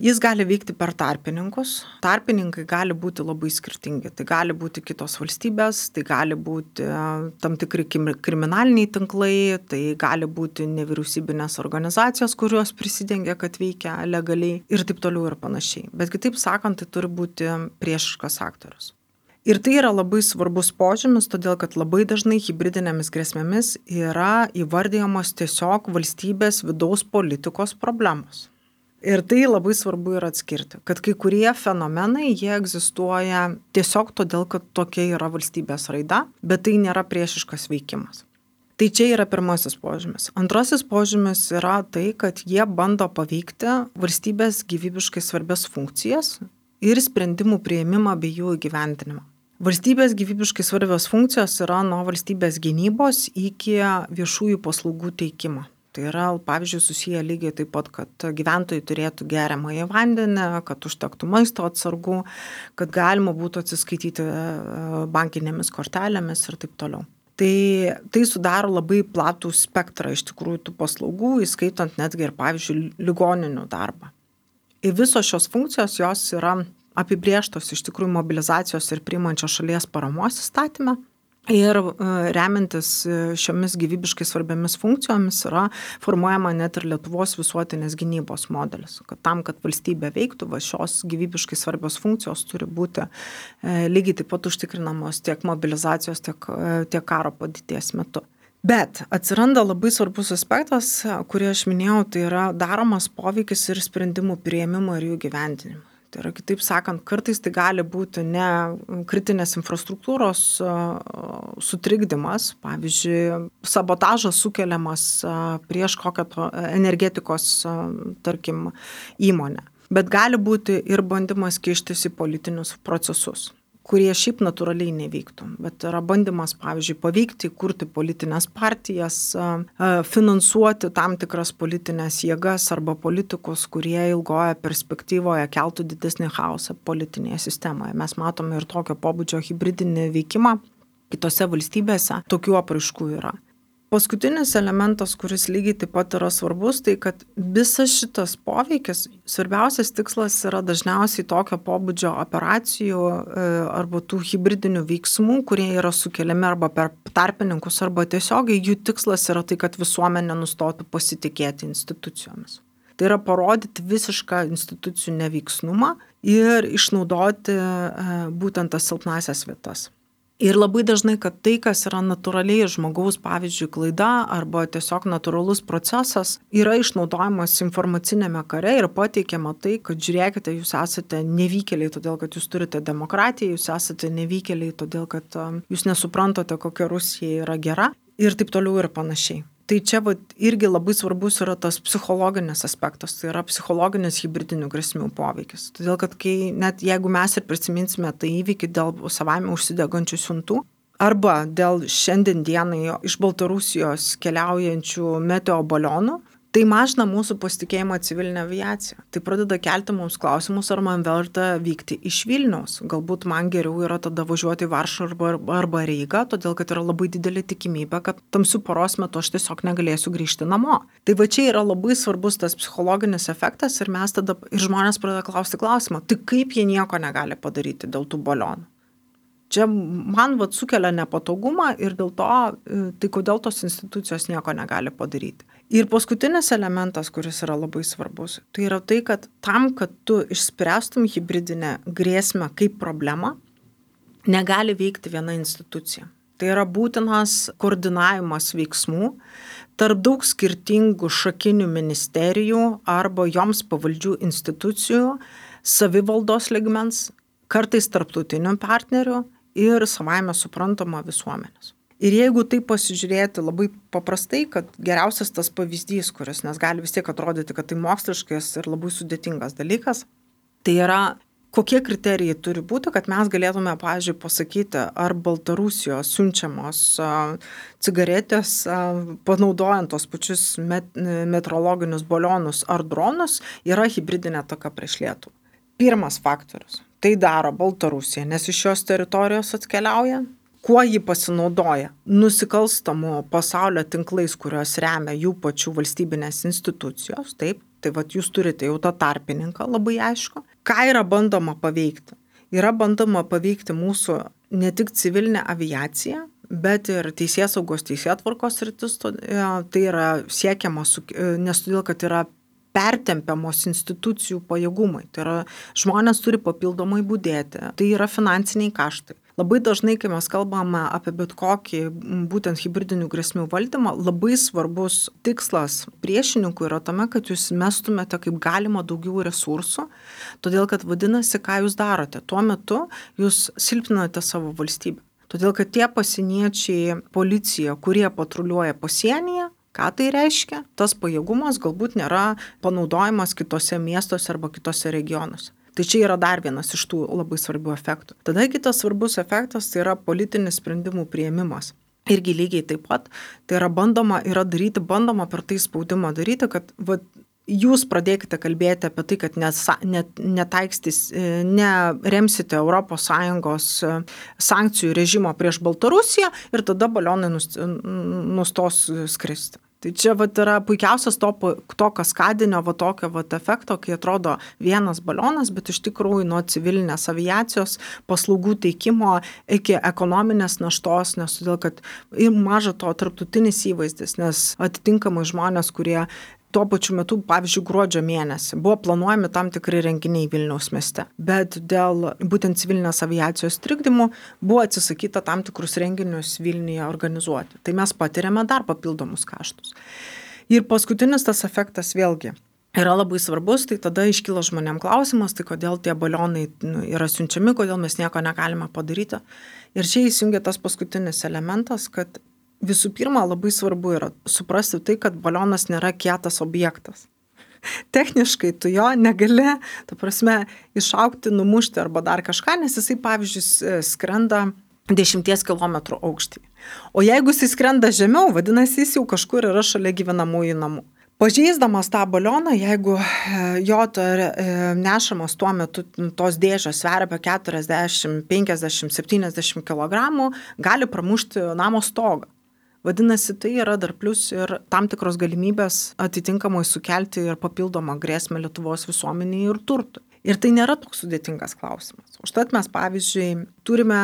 Jis gali veikti per tarpininkus. Tarpininkai gali būti labai skirtingi. Tai gali būti kitos valstybės, tai gali būti tam tikri kriminaliniai tinklai, tai gali būti nevyriausybinės organizacijos, kurios prisidengia, kad veikia legaliai ir taip toliau ir panašiai. Bet kitaip sakant, tai turi būti priešiškas aktorius. Ir tai yra labai svarbus požymis, todėl kad labai dažnai hibridinėmis grėsmėmis yra įvardyjamos tiesiog valstybės vidaus politikos problemos. Ir tai labai svarbu yra atskirti, kad kai kurie fenomenai, jie egzistuoja tiesiog todėl, kad tokia yra valstybės raida, bet tai nėra priešiškas veikimas. Tai čia yra pirmasis požymis. Antrasis požymis yra tai, kad jie bando paveikti valstybės gyvybiškai svarbias funkcijas ir sprendimų priėmimą bei jų įgyvendinimą. Valstybės gyvybiškai svarbios funkcijos yra nuo valstybės gynybos iki viešųjų paslaugų teikimo. Tai yra, pavyzdžiui, susiję lygiai taip pat, kad gyventojai turėtų geriamąjį vandenį, kad užtektų maisto atsargų, kad galima būtų atsiskaityti bankinėmis kortelėmis ir taip toliau. Tai sudaro labai platų spektrą iš tikrųjų tų paslaugų, įskaitant netgi ir, pavyzdžiui, ligoninių darbą. Ir visos šios funkcijos jos yra apibrėžtos iš tikrųjų mobilizacijos ir priimančios šalies paramos įstatyme. Ir remiantis šiomis gyvybiškai svarbiamis funkcijomis yra formuojama net ir Lietuvos visuotinės gynybos modelis. Kad tam, kad valstybė veiktų, šios gyvybiškai svarbios funkcijos turi būti lygiai taip pat užtikrinamos tiek mobilizacijos, tiek karo padėties metu. Bet atsiranda labai svarbus aspektas, kurį aš minėjau, tai yra daromas poveikis ir sprendimų priėmimo ir jų gyvendinimo. Tai yra, kitaip sakant, kartais tai gali būti ne kritinės infrastruktūros sutrikdymas, pavyzdžiui, sabotažas sukeliamas prieš kokią energetikos, tarkim, įmonę. Bet gali būti ir bandymas kištis į politinius procesus, kurie šiaip natūraliai nevyktų. Bet yra bandymas, pavyzdžiui, paveikti, kurti politinės partijas, finansuoti tam tikras politinės jėgas arba politikus, kurie ilgoje perspektyvoje keltų didesnį chaosą politinėje sistemoje. Mes matome ir tokio pobūdžio hibridinį veikimą kitose valstybėse, tokių apraiškų yra. Paskutinis elementas, kuris lygiai taip pat yra svarbus, tai kad visas šitas poveikis, svarbiausias tikslas yra dažniausiai tokio pobūdžio operacijų arba tų hibridinių veiksmų, kurie yra sukeliami arba per tarpininkus, arba tiesiogiai jų tikslas yra tai, kad visuomenė nustotų pasitikėti institucijomis. Tai yra parodyti visišką institucijų neveiksnumą ir išnaudoti būtent tas silpnasias vietas. Ir labai dažnai, kad tai, kas yra natūraliai žmogaus, pavyzdžiui, klaida arba tiesiog natūralus procesas, yra išnaudojamas informacinėme kare ir pateikiama tai, kad žiūrėkite, jūs esate nevykėliai, todėl kad jūs turite demokratiją, jūs esate nevykėliai, todėl kad jūs nesuprantate, kokia Rusija yra gera ir taip toliau ir panašiai. Tai čia irgi labai svarbus yra tas psichologinis aspektas, tai yra psichologinis hibridinių grėsmių poveikis. Todėl, kad net jeigu mes ir prisiminsime tą įvykį dėl savaime užsidegančių siuntų, arba dėl šiandien dienai iš Baltarusijos keliaujančių meteo balionų, tai mažina mūsų pasitikėjimą civilinę aviaciją. Tai pradeda kelti mums klausimus, ar man verta vykti iš Vilniaus. Galbūt man geriau yra tada važiuoti į Varšuvą arba Rygą, todėl kad yra labai didelė tikimybė, kad tamsiu paros metu aš tiesiog negalėsiu grįžti namo. Tai va čia yra labai svarbus tas psichologinis efektas ir mes tada, ir žmonės pradeda klausti klausimą, tai kaip jie nieko negali padaryti dėl tų balionų. Čia man sukelia nepatogumą ir dėl to, tai kodėl tos institucijos nieko negali padaryti. Ir paskutinis elementas, kuris yra labai svarbus, tai yra tai, kad tam, kad tu išspręstum hibridinę grėsmę kaip problemą, negali veikti viena institucija. Tai yra būtinas koordinavimas veiksmų tarp daug skirtingų šakinių ministerijų arba joms pavaldžių institucijų, savivaldos lygmens, kartais tarptautinių partnerių ir savaime suprantama visuomenės. Ir jeigu tai pasižiūrėti labai paprastai, kad geriausias tas pavyzdys, kuris, nes gali vis tiek atrodyti, kad tai moksliškas ir labai sudėtingas dalykas, tai yra, kokie kriterijai turi būti, kad mes galėtume, pavyzdžiui, pasakyti, ar Baltarusijos siunčiamos cigaretės, panaudojant tos pačius meteorologinius balionus ar dronus, yra hibridinė ataka prieš Lietuvą. Pirmas faktorius. Tai daro Baltarusija, nes iš šios teritorijos atkeliauja. Kuo ji pasinaudoja? Nusikalstamų pasaulio tinklais, kurios remia jų pačių valstybinės institucijos, taip, tai jūs turite jau tą tarpininką labai aišku. Ką yra bandoma paveikti? Yra bandoma paveikti mūsų ne tik civilinę aviaciją, bet ir teisėsaugos teisėtvarkos sritis, tai yra siekiama, nes todėl, kad yra pertempiamos institucijų pajėgumai. Tai yra, žmonės turi papildomai budėti, tai yra finansiniai kaštai. Labai dažnai, kai mes kalbame apie bet kokį būtent hibridinių grėsmių valdymą, labai svarbus tikslas priešininkų yra tame, kad jūs mestumėte kaip galima daugiau resursų, todėl kad vadinasi, ką jūs darote. Tuo metu jūs silpninate savo valstybę. Todėl kad tie pasieniečiai, policija, kurie patruliuoja pasienyje, ką tai reiškia? Tas pajėgumas galbūt nėra panaudojamas kitose miestuose arba kitose regionuose. Tai čia yra dar vienas iš tų labai svarbių efektų. Tada kitas svarbus efektas tai yra politinis sprendimų priėmimas. Irgi lygiai taip pat, tai yra bandoma per tai spaudimą daryti, kad jūs pradėkite kalbėti apie tai, kad neremsite ES sankcijų režimo prieš Baltarusiją ir tada balionai nustos skristi. Tai čia yra puikiausias to kaskadinio tokio efekto, kai atrodo vienas balionas, bet iš tikrųjų nuo civilinės aviacijos paslaugų teikimo iki ekonominės naštos, nes todėl, kad ir maža to tarptautinis įvaizdis, nes atitinkamai žmonės, kurie tuo pačiu metu, pavyzdžiui, gruodžio mėnesį buvo planuojami tam tikri renginiai Vilniaus mieste, bet dėl būtent civilinės aviacijos trikdymų buvo atsisakyta tam tikrus renginius Vilniuje organizuoti. Tai mes patiriame dar papildomus kaštus. Ir paskutinis tas efektas vėlgi. yra labai svarbus, tai tada iškyla žmonėm klausimas, tai kodėl tie balionai yra siunčiami, kodėl mes nieko negalime padaryti. Ir čia įsijungia tas paskutinis elementas, kad visų pirma labai svarbu yra suprasti tai, kad balionas nėra kietas objektas. Techniškai tu jo negali, ta prasme, išaugti, numušti arba dar kažką, nes jisai, pavyzdžiui, skrenda 10 km aukštį. O jeigu jisai skrenda žemiau, vadinasi, jis jau kažkur yra šalia gyvenamųjų namų. Pažeisdamas tą balioną, jeigu jo nešamas tuo metu tos dėžės sveria apie 40, 50, 70 kg, gali pramušti namo stogą. Vadinasi, tai yra dar plus ir tam tikros galimybės atitinkamai sukelti ir papildomą grėsmę Lietuvos visuomeniai ir turtui. Ir tai nėra toks sudėtingas klausimas. Užtat mes, pavyzdžiui, turime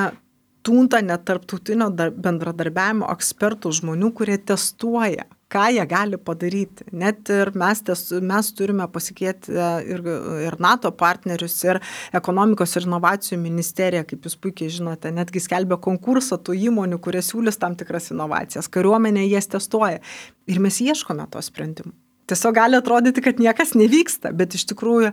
tūntą net tarptautinio bendradarbiavimo ekspertų žmonių, kurie testuoja, ką jie gali padaryti. Net ir mes turime pasikėti ir NATO partnerius, ir ekonomikos ir inovacijų ministerija, kaip jūs puikiai žinote, netgi skelbia konkursą tų įmonių, kurie siūlys tam tikras inovacijas. Kariuomenė jas testuoja. Ir mes ieškome to sprendimų. Tiesiog gali atrodyti, kad niekas nevyksta, bet iš tikrųjų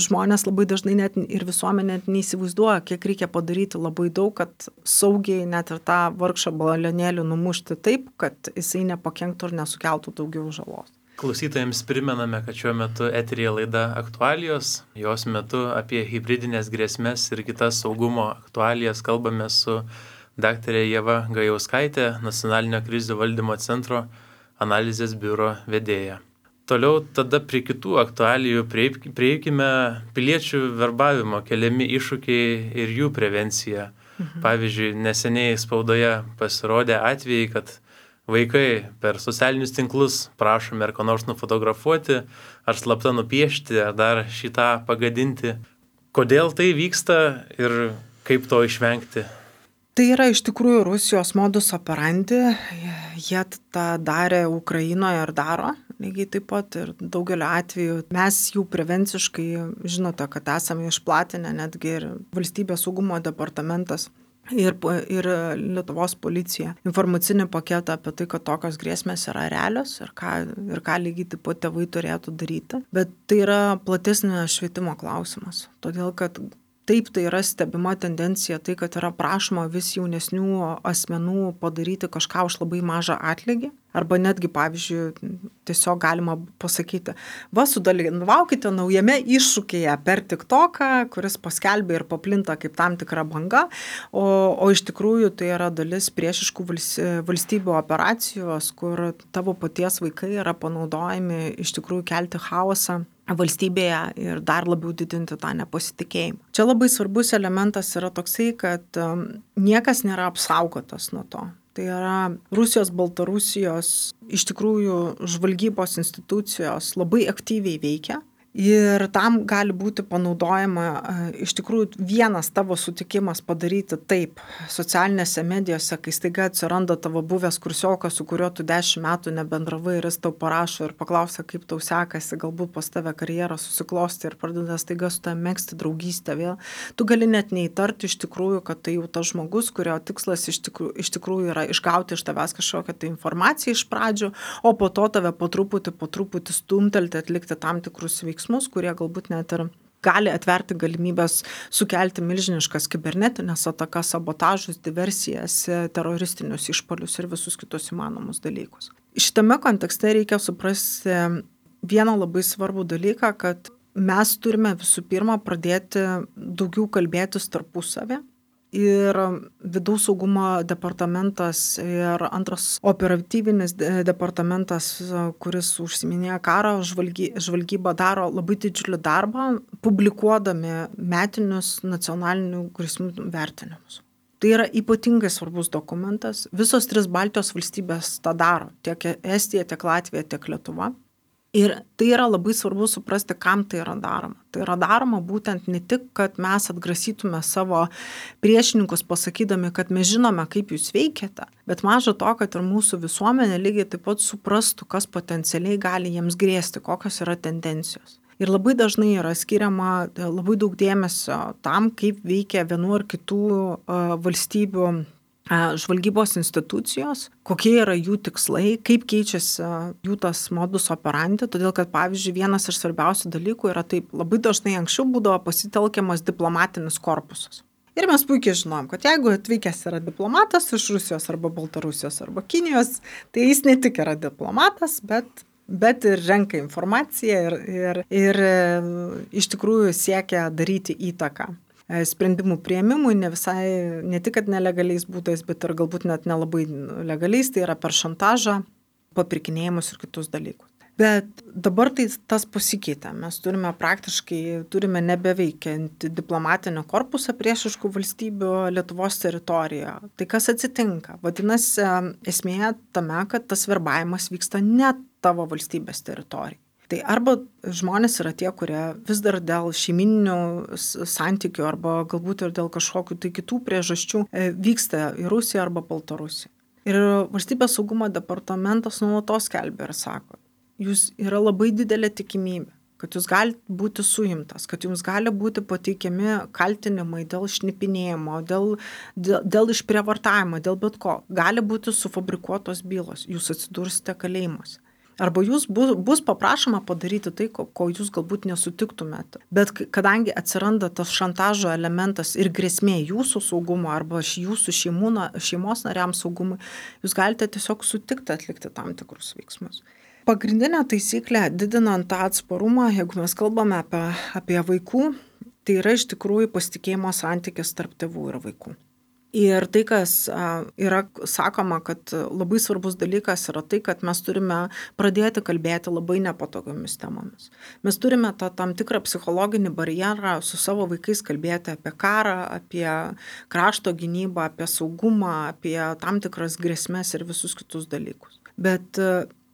žmonės labai dažnai net ir visuomenė neįsivaizduoja, kiek reikia padaryti labai daug, kad saugiai net ir tą vargšą balionėlį numušti taip, kad jisai nepakenktų ir nesukeltų daugiau žalos. Klausytojams primename, kad šiuo metu eteryje laida Aktualijos. Jos metu apie hibridinės grėsmes ir kitas saugumo aktualijas kalbame su daktarė Ieva Gajauskaitė, Nacionalinio krizių valdymo centro analizės biuro vedėja. Toliau tada prie kitų aktualijų prieikime piliečių verbavimo keliami iššūkiai ir jų prevencija. Pavyzdžiui, neseniai spaudoje pasirodė atvejai, kad vaikai per socialinius tinklus prašomi ar ko nors nufotografuoti, ar slapta nupiešti, ar dar šitą pagadinti. Kodėl tai vyksta ir kaip to išvengti? Tai yra iš tikrųjų Rusijos modus operandi, jie tą darė Ukrainoje ir daro, lygiai taip pat ir daugelio atveju. Mes jų prevenciškai, žinote, kad esame išplatinę netgi ir Valstybės saugumo departamentas ir Lietuvos policija informacinį paketą apie tai, kad tokios grėsmės yra realios ir ką lygiai taip pat tėvai turėtų daryti. Bet tai yra platesnė švietimo klausimas, todėl kad taip, tai yra stebima tendencija, tai, kad yra prašoma vis jaunesnių asmenų padaryti kažką už labai mažą atlygį. Arba netgi, pavyzdžiui, tiesiog galima pasakyti, sudalyvaukite naujame iššūkyje per TikToką, kuris paskelbė ir paplinta kaip tam tikra banga, o iš tikrųjų tai yra dalis priešiškų valstybių operacijos, kur tavo paties vaikai yra panaudojami iš tikrųjų kelti chaosą valstybėje ir dar labiau didinti tą nepasitikėjimą. Čia labai svarbus elementas yra toksai, kad niekas nėra apsaugotas nuo to. Tai yra Rusijos, Baltarusijos, iš tikrųjų žvalgybos institucijos labai aktyviai veikia. Ir tam gali būti panaudojama iš tikrųjų vienas tavo sutikimas padaryti taip socialinėse medijose, kai staiga atsiranda tavo buvęs kursiokas, su kuriuo tu 10 metų nebendravai ir jis tau parašo ir paklausia, kaip tau sekasi, galbūt pas tave karjerą susiklosti ir pradeda staiga su tavimi megzti draugystę vėl. Tu gali net neįtarti iš tikrųjų, kad tai jau tas žmogus, kurio tikslas iš tikrųjų yra išgauti iš tavęs kažkokią tai informaciją iš pradžių, o po to tave po truputį stumtelti, atlikti tam tikrus veiksmus, kurie galbūt net ir gali atverti galimybės sukelti milžiniškas kibernetinės atakas, sabotažus, diversijas, teroristinius išpuolius ir visus kitus įmanomus dalykus. Šitame kontekste reikia suprasti vieną labai svarbų dalyką, kad mes turime visų pirma pradėti daugiau kalbėtis tarpusavį. Ir vidaus saugumo departamentas ir antras operatyvinis departamentas, kuris užsiminėja karo žvalgybą, daro labai didžiulį darbą, publikuodami metinius nacionalinių grėsmių vertinimus. Tai yra ypatingai svarbus dokumentas. Visos 3 Baltijos valstybės tą daro, tiek Estija, tiek Latvija, tiek Lietuva. Ir tai yra labai svarbu suprasti, kam tai yra daroma. Tai yra daroma būtent ne tik, kad mes atgrasytume savo priešininkus pasakydami, kad mes žinome, kaip jūs veikiate, bet maža to, kad ir mūsų visuomenė lygiai taip pat suprastų, kas potencialiai gali jiems grėsti, kokios yra tendencijos. Ir labai dažnai yra skiriama labai daug dėmesio tam, kaip veikia vienų ar kitų valstybių žvalgybos institucijos, kokie yra jų tikslai, kaip keičiasi jų tas modus operandi, todėl kad, pavyzdžiui, vienas iš svarbiausių dalykų yra taip, labai dažnai anksčiau būdavo pasitelkiamas diplomatinis korpusas. Ir mes puikiai žinom, kad jeigu atvykęs yra diplomatas iš Rusijos arba Baltarusijos arba Kinijos, tai jis ne tik yra diplomatas, bet ir renka informaciją ir iš tikrųjų siekia daryti įtaką sprendimų priėmimui, ne tik kad nelegaliais būdais, bet ir galbūt net nelabai legaliais, tai yra per šantažą, papirkinėjimus ir kitus dalykus. Bet dabar tas pasikeitė. Mes turime nebeveikiantį diplomatinį korpusą priešiškų valstybių Lietuvos teritorijoje. Tai kas atsitinka? Vadinasi, esmė tame, kad tas verbavimas vyksta ne tavo valstybės teritorijoje. Tai arba žmonės yra tie, kurie vis dar dėl šeimininių santykių arba galbūt ir dėl kažkokių tai kitų priežasčių vyksta į Rusiją arba Baltarusiją. Ir Valstybės saugumo departamentas nuolatos skelbia ir sako, jūs yra labai didelė tikimybė, kad jūs galite būti suimtas, kad jums gali būti pateikiami kaltinimai dėl šnipinėjimo, dėl išprievartavimo, dėl bet ko. Gali būti sufabrikuotos bylos, jūs atsidursite kalėjimuose. Arba jūs bus paprašoma padaryti tai, ko jūs galbūt nesutiktumėte. Bet kadangi atsiranda tas šantažo elementas ir grėsmė jūsų saugumo arba jūsų šeimos nariams saugumui, jūs galite tiesiog sutikti atlikti tam tikrus veiksmus. Pagrindinė taisyklė, didinant tą atsparumą, jeigu mes kalbame apie vaikų, tai yra iš tikrųjų pasitikėjimo santykis tarp tėvų ir vaikų. Ir tai, kas yra sakoma, kad labai svarbus dalykas yra tai, kad mes turime pradėti kalbėti labai nepatogiomis temomis. Mes turime tam tikrą psichologinį barjerą su savo vaikais kalbėti apie karą, apie krašto gynybą, apie saugumą, apie tam tikras grėsmes ir visus kitus dalykus. Bet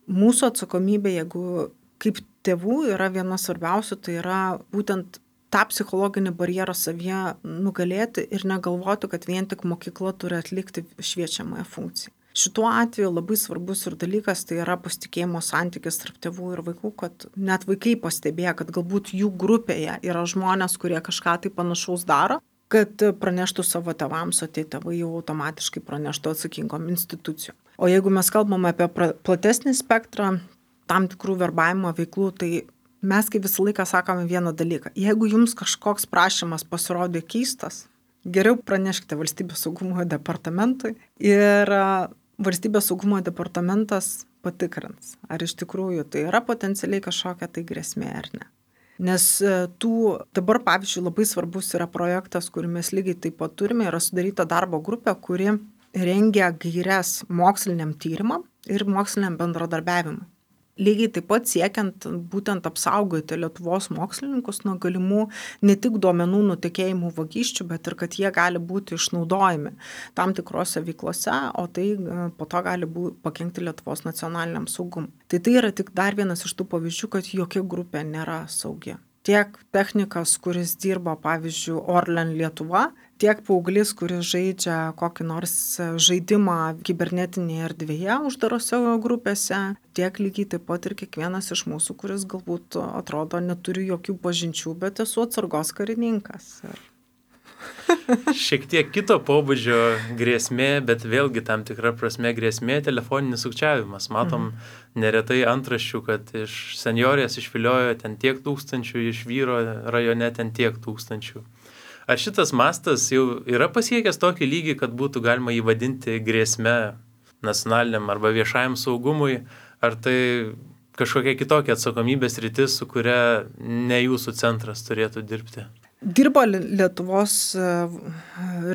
mūsų atsakomybė, jeigu kaip tėvų yra viena svarbiausių, tai yra būtent tą psichologinį barjerą savyje nugalėti ir negalvoti, kad vien tik mokykla turi atlikti šviečiamąją funkciją. Šituo atveju labai svarbus ir dalykas tai yra pasitikėjimo santykis tarp tėvų ir vaikų, kad net vaikai pastebėjo, kad galbūt jų grupėje yra žmonės, kurie kažką tai panašaus daro, kad praneštų savo tėvams, o tie tėvai jau automatiškai praneštų atsakingom institucijom. O jeigu mes kalbame apie platesnį spektrą tam tikrų verbavimo veiklų, tai mes kaip visą laiką sakome vieną dalyką. Jeigu jums kažkoks prašymas pasirodė keistas, geriau praneškite Valstybės saugumo departamentui ir Valstybės saugumo departamentas patikrins, ar iš tikrųjų tai yra potencialiai kažkokia tai grėsmė ar ne. Nes dabar, pavyzdžiui, labai svarbus yra projektas, kurį mes lygiai taip pat turime, yra sudaryta darbo grupė, kuri rengia gaires moksliniam tyrimam ir moksliniam bendradarbiavimui. Lygiai taip pat siekiant būtent apsaugoti Lietuvos mokslininkus nuo galimų ne tik duomenų nutekėjimų vagysčių, bet ir kad jie gali būti išnaudojami tam tikrose veiklose, o tai po to gali pakenkti Lietuvos nacionaliniam saugumui. Tai yra tik dar vienas iš tų pavyzdžių, kad jokia grupė nėra saugi. Tiek technikas, kuris dirba, pavyzdžiui, Orlen Lietuva, tiek paauglys, kuris žaidžia kokį nors žaidimą kibernetinėje erdvėje uždarose grupėse, tiek lygiai taip pat ir kiekvienas iš mūsų, kuris galbūt atrodo neturi jokių pažinčių, bet esu atsargos karininkas. Šiek tiek kito pobūdžio grėsmė, bet vėlgi tam tikra prasme grėsmė telefoninis sukčiavimas. Matom neretai antraščių, kad iš senjorės išviliojo ten tiek tūkstančių, iš vyro rajone ten tiek tūkstančių. Ar šitas mastas jau yra pasiekęs tokį lygį, kad būtų galima jį vadinti grėsme nacionaliniam arba viešajam saugumui, ar tai kažkokia kitokia atsakomybės rytis, su kuria ne jūsų centras turėtų dirbti? Dirbo Lietuvos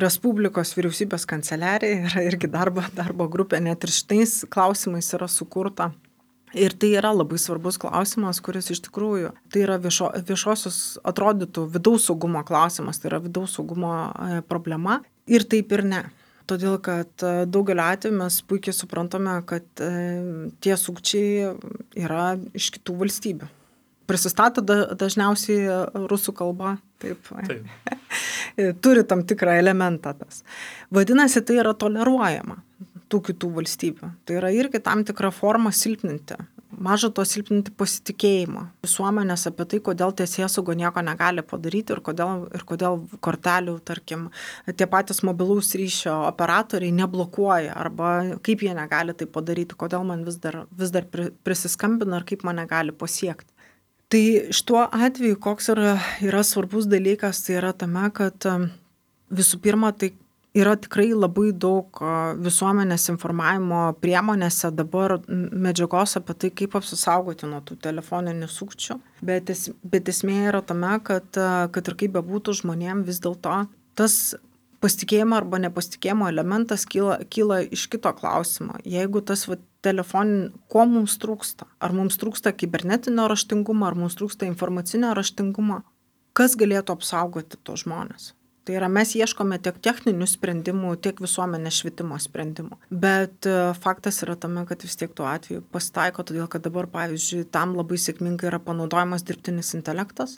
Respublikos vyriausybės kanceliarija, yra irgi darbo grupė, net ir šitais klausimais yra sukurta. Ir tai yra labai svarbus klausimas, kuris iš tikrųjų, tai yra viešosios atrodytų vidaus saugumo klausimas, tai yra vidaus saugumo problema ir taip ir ne. Todėl, kad daugelio atveju mes puikiai suprantame, kad tie sukčiai yra iš kitų valstybių. Prisistato dažniausiai rusų kalba, taip. Turi tam tikrą elementą tas. Vadinasi, tai yra toleruojama tų kitų valstybių. Tai yra irgi tam tikra forma silpninti maža to silpninti pasitikėjimą visuomenės apie tai, kodėl teisėsauga nieko negali padaryti ir kodėl kortelių, tarkim, tie patys mobilaus ryšio operatoriai neblokuoja arba kaip jie negali tai padaryti, kodėl man vis dar prisiskambina ir kaip mane gali pasiekti. Tai šituo atveju, koks yra svarbus dalykas, tai yra tame, kad visų pirma, tai yra tikrai labai daug visuomenės informavimo priemonėse dabar medžiagos apie tai, kaip apsisaugoti nuo tų telefoninių sukčių. Bet esmė yra tame, kad ir kaip bebūtų žmonėm vis dėlto tas pasitikėjimo arba nepasitikėjimo elementas kyla iš kito klausimo. Jeigu tas ko mums trūksta? Ar mums trūksta kibernetinio raštingumo, ar mums trūksta informacinio raštingumo? Kas galėtų apsaugoti tos žmonės? Tai yra, mes ieškome tiek techninių sprendimų, tiek visuomenės švietimo sprendimų. Bet faktas yra tame, kad vis tiek tuo atveju pasitaiko, todėl kad dabar, pavyzdžiui, tam labai sėkmingai yra panaudojamas dirbtinis intelektas.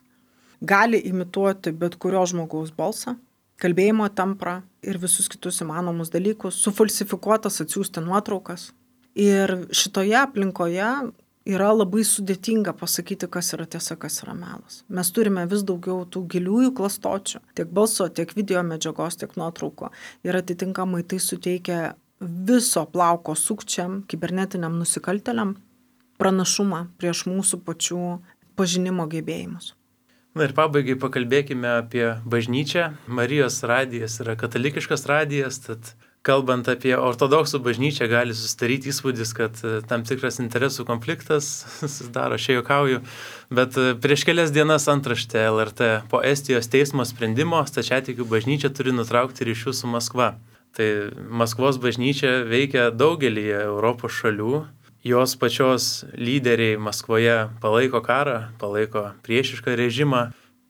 Gali imituoti bet kurio žmogaus balsą, kalbėjimo temprą ir visus kitus įmanomus dalykus, sufalsifikuotas atsiųsti nuotraukas. Ir šitoje aplinkoje yra labai sudėtinga pasakyti, kas yra tiesa, kas yra melas. Mes turime vis daugiau tų giliųjų klastočių, tiek balso, tiek video medžiagos, tiek nuotrauko. Ir atitinkamai tai suteikia viso plauko sukčiam, kibernetiniam nusikaltėliam pranašumą prieš mūsų pačių pažinimo gebėjimus. Na ir pabaigai pakalbėkime apie bažnyčią. Marijos radijas yra katalikiškas radijas, tad kalbant apie ortodoksų bažnyčią, gali susidaryti įspūdis, kad tam tikras interesų konfliktas susidaro, aš juokauju, bet prieš kelias dienas antraštė LRT po Estijos teismo sprendimo stačiatikių bažnyčia turi nutraukti ryšius su Maskva. Tai Maskvos bažnyčia veikia daugelį Europos šalių, jos pačios lyderiai Maskvoje palaiko karą, palaiko priešišką režimą.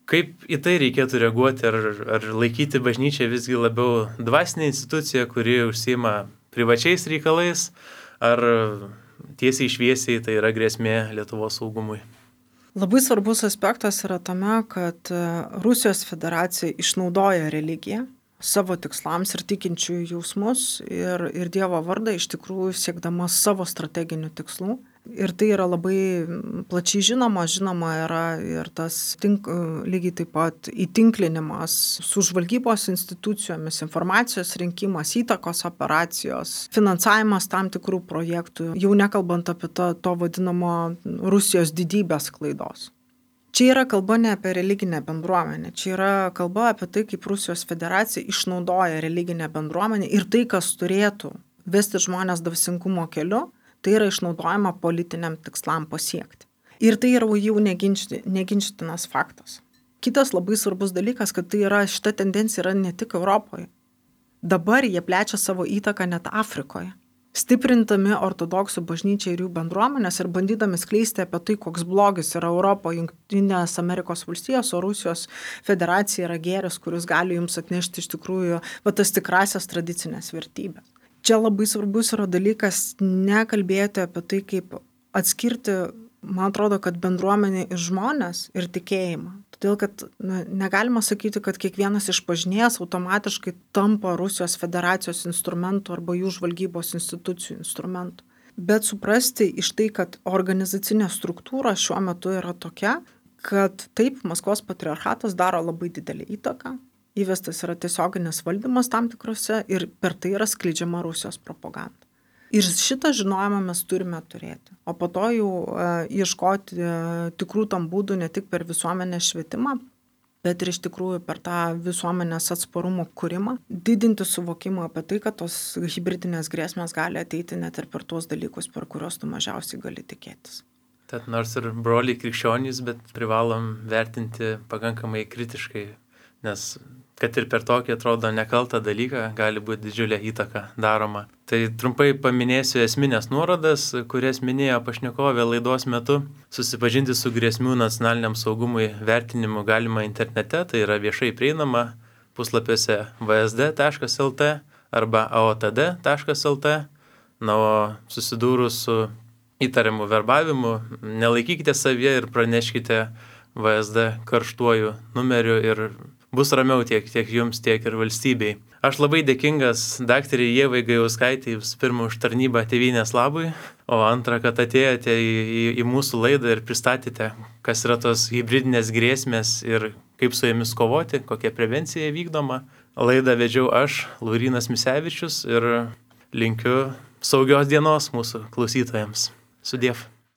Kaip į tai reikėtų reaguoti, ar laikyti bažnyčią visgi labiau dvasinė institucija, kuri užsiima privačiais reikalais, ar tiesiai šviesiai tai yra grėsmė Lietuvos saugumui? Labai svarbus aspektas yra tame, kad Rusijos federacija išnaudoja religiją savo tikslams ir tikinčiųjų jausmus ir Dievo vardą iš tikrųjų siekdama savo strateginių tikslų. Ir tai yra labai plačiai žinoma yra ir tas lygiai taip pat įtinklinimas su žvalgybos institucijomis, informacijos rinkimas, įtakos operacijos, finansavimas tam tikrų projektų, jau nekalbant apie to vadinamo Rusijos didybės klaidos. Čia yra kalba ne apie religinę bendruomenę, čia yra kalba apie tai, kaip Rusijos federacija išnaudoja religinę bendruomenę ir tai, kas turėtų vesti žmonės dvasingumo keliu, tai yra išnaudojama politiniam tikslam pasiekti. Ir tai yra jau neginčytinas faktas. Kitas labai svarbus dalykas, kad šita tendencija yra ne tik Europoje. Dabar jie plečia savo įtaką net Afrikoje. Stiprintami ortodoksų bažnyčią ir jų bendruomenės ir bandydami skleisti apie tai, koks blogis yra Europoje, Jungtinės Amerikos valstijos, o Rusijos federacija yra gėris, kuris gali jums atnešti iš tikrųjų tas tikrasias tradicinės vertybės. Čia labai svarbus yra dalykas nekalbėti apie tai, kaip atskirti, man atrodo, kad bendruomenė ir žmonės ir tikėjimą. Todėl, kad negalima sakyti, kad kiekvienas išpažinėjas automatiškai tampa Rusijos federacijos instrumentų arba jų žvalgybos institucijų instrumentų. Bet suprasti iš tai, kad organizacinė struktūra šiuo metu yra tokia, kad taip, Maskvos patriarchatas daro labai didelį įtaką. Įvestas yra tiesioginis valdymas tam tikrose ir per tai yra skleidžiama Rusijos propaganda. Ir šitą žinojimą mes turime turėti. O po to jau ieškoti tikrų tam būdų ne tik per visuomenės švietimą, bet ir iš tikrųjų per tą visuomenės atsparumo kūrimą, didinti suvokimą apie tai, kad tos hibridinės grėsmės gali ateiti net ir per tuos dalykus, per kuriuos tu mažiausiai gali tikėtis. Tad nors ir broliai krikščionys, bet privalom vertinti pakankamai kritiškai, nes kad ir per tokį atrodo nekaltą dalyką gali būti didžiulė įtaka daroma. Tai trumpai paminėsiu esminės nuorodas, kurias minėjo pašnekovė laidos metu. Susipažinti su grėsmių nacionaliniam saugumui vertinimu galima internete, tai yra viešai prieinama puslapiuose vsd.lt arba aotd.lt. Na, o susidūrus su įtariamu verbavimu, nelaikykite savyje ir praneškite VSD karštuoju numeriu ir bus ramiau tiek jums, tiek ir valstybei. Aš labai dėkingas daktarei Ievai Gajauskaitei pirmą už tarnybą tėvynės labui. O antra, kad atėjote į mūsų laidą ir pristatėte, kas yra tos hibridinės grėsmės ir kaip su jomis kovoti, kokia prevencija vykdoma. Laidą vedžiau aš, Laurynas Misevičius, ir linkiu saugios dienos mūsų klausytojams. Sudiev.